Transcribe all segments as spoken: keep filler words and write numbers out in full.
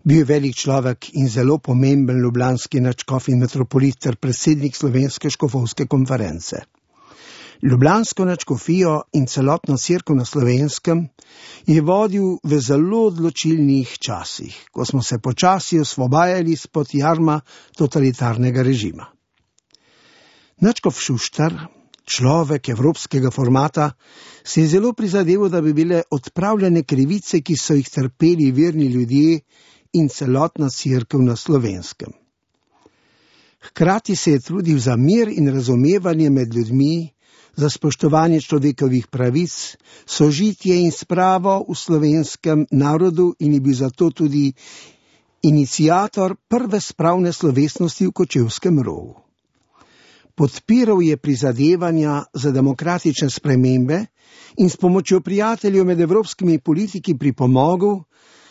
Bil je velik človek in zelo pomemben ljubljanski nadškof in metropolit ter predsednik Slovenske škofovske konference. Ljubljansko nadškofijo in celotno cerkev na Slovenskem je vodil v zelo odločilnih časih, ko smo se počasi osvobajali spod jarma totalitarnega režima. Nadškof Šuštar, človek evropskega formata, se je zelo prizadeval, da bi bile odpravljene krivice, ki so jih trpeli verni ljudje in celotna cerkev na Slovenskem. Hkrati se je trudil za mir in razumevanje med ljudmi, za spoštovanje človekovih pravic, sožitje in spravo v slovenskem narodu in je bil zato tudi iniciator prve spravne slovesnosti v Kočevskem rovu. Podpiral je prizadevanja za demokratične spremembe in s pomočjo prijateljev med evropskimi politiki pripomogel,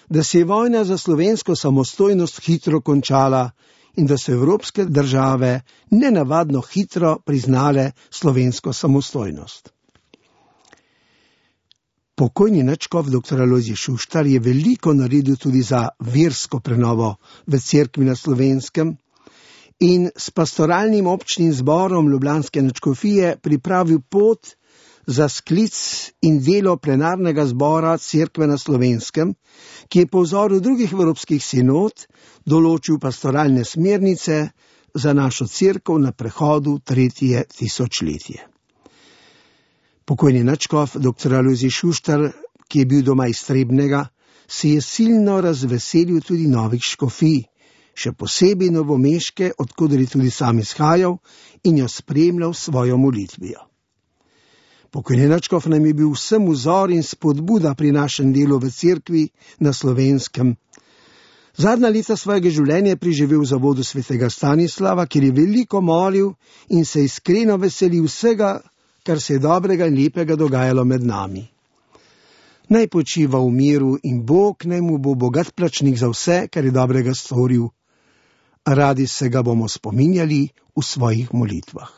da se je vojna za slovensko samostojnost hitro končala in da so evropske države nenavadno hitro priznale slovensko samostojnost. Pokojni nadškof dr. Alojzij Šuštar je veliko naredil tudi za versko prenovo v cerkvi na Slovenskem in s pastoralnim občnim zborom ljubljanske nadškofije pripravil pot za sklic in delo plenarnega zbora cerkve na Slovenskem, ki je po vzoru drugih evropskih sinod določil pastoralne smernice za našo cerkev na prehodu tretje tisočletje. Pokojni nadškof dr. Alojzij Šuštar, ki je bil doma iz Trebnjega, se je silno razveselil tudi novih škofij, še posebej novomeške, odkoder je tudi sam izhajal in jo spremljal svojo molitvijo. Pokojni nadškof nam je bil vsem vzor in spodbuda pri našem delu v cerkvi na Slovenskem. Zadnja leta svojega življenja je preživel v zavodu svetega Stanislava, kjer je veliko molil in se iskreno veselil vsega, kar se je dobrega in lepega dogajalo med nami. Naj počiva v miru in Bog naj mu bo bogat plačnik za vse, kar je dobrega storil. Radi se ga bomo spominjali v svojih molitvah.